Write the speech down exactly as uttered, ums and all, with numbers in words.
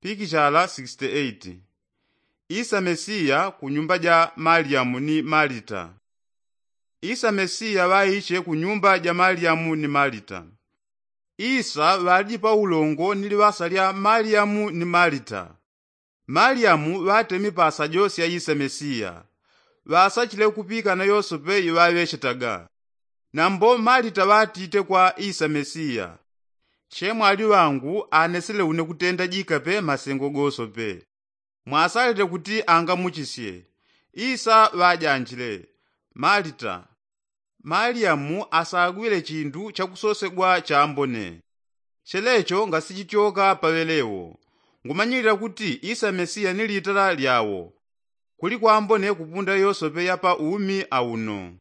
Pikichala sixty-eight. Isa mesiya ku nyumba ja maliyamu ni malita. Isa mesiya ŵaiche ku nyumba ja maliyamu ni malita. Isa ŵaliji pa ulongo ni liŵasa lya maliyamu ni malita. Maliyamu ŵatemi pa sajo sya isa mesiya. Ŵasachile kupikana yosope iŵaŵechetaga. Nambo malita ŵatite kwa isa mesiya, chemwali ŵangu anesele une kutenda jikape masengo gosope. Mwasalete kuti angamuchisye. Isa ŵajanjile. Malita, maliyamu asagwile chindu chakusosegwa chambone. Chelecho ngasichityoka paŵelewo. Ngumanyilila kuti isa mesiya ni litala lyawo. Kuli kwambone kupunda yosope ya pa umi auno.